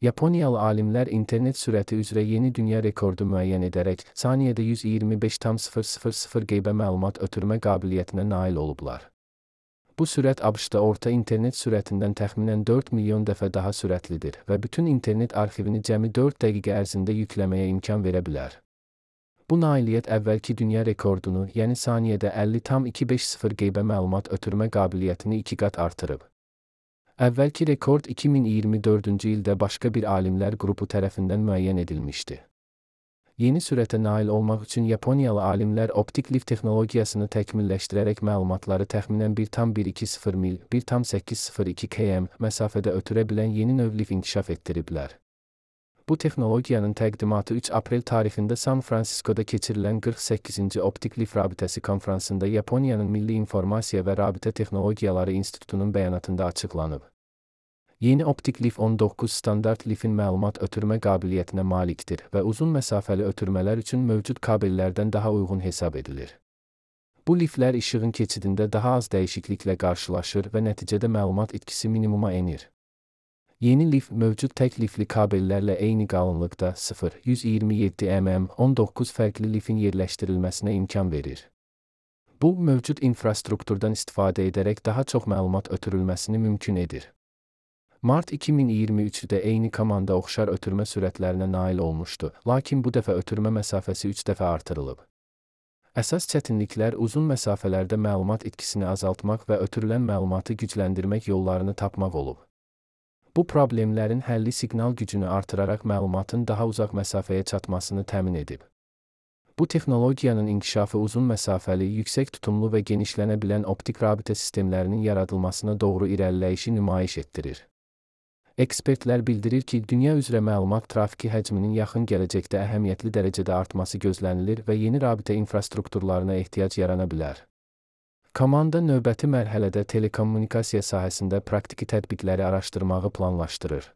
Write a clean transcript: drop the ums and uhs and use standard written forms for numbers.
Yaponiyalı alimlər internet sürəti üzrə yeni dünya rekordu müəyyən edərək, saniyədə 125,000 qeybə məlumat ötürmə qabiliyyətinə nail olublar. Bu sürət ABŞ-da orta internet sürətindən təxminən 4 milyon dəfə daha sürətlidir və bütün internet arxivini cəmi 4 dəqiqə ərzində yükləməyə imkan verə bilər. Bu nailiyyət əvvəlki dünya rekordunu, yəni saniyədə 50,250 qeybə məlumat ötürmə qabiliyyətini 2 qat artırıb. Əvvəlki rekord 2024-cü ildə başqa bir alimlər qrupu tərəfindən müəyyən edilmişdi. Yeni sürətə nail olmaq üçün Yaponiyalı alimlər optik lif texnologiyasını təkmilləşdirərək məlumatları təxminən 1,120 mil, 1,802 km məsafədə ötürə bilən yeni növ lif inkişaf etdiriblər. Bu texnologiyanın təqdimatı 3 aprel tarixində San Fransiskoda keçirilən 48-ci Optik Lif Rabitəsi konfransında Yaponiyanın Milli İnformasiya və Rabitə Texnologiyaları İnstitutunun bəyanatında açıqlanıb. Yeni optik lif 19 standart lifin məlumat ötürmə qabiliyyətinə malikdir və uzun məsafəli ötürmələr üçün mövcud kabellərdən daha uyğun hesab edilir. Bu liflər işığın keçidində daha az dəyişikliklə qarşılaşır və nəticədə məlumat itkisi minimuma enir. Yeni lif mövcud tək lifli kabellərlə eyni qalınlıqda 0,127 mm 19 fərqli lifin yerləşdirilməsinə imkan verir. Bu, mövcud infrastrukturdan istifadə edərək daha çox məlumat ötürülməsini mümkün edir. Mart 2023-də eyni komanda oxşar ötürmə sürətlərinə nail olmuşdu, lakin bu dəfə ötürmə məsafəsi 3 dəfə artırılıb. Əsas çətinliklər uzun məsafələrdə məlumat itkisini azaltmaq və ötürülən məlumatı gücləndirmək yollarını tapmaq olub. Bu problemlərin həlli siqnal gücünü artıraraq məlumatın daha uzaq məsafəyə çatmasını təmin edib. Bu texnologiyanın inkişafı uzun məsafəli, yüksək tutumlu və genişlənə bilən optik rabitə sistemlərinin yaradılmasına doğru irəliləyişi nümayiş etdirir. Ekspertlər bildirir ki, dünya üzrə məlumat trafiki həcminin yaxın gələcəkdə əhəmiyyətli dərəcədə artması gözlənilir və yeni rabitə infrastrukturlarına ehtiyac yarana bilər. Komanda növbəti mərhələdə telekommunikasiya sahəsində praktiki tətbiqləri araşdırmağı planlaşdırır.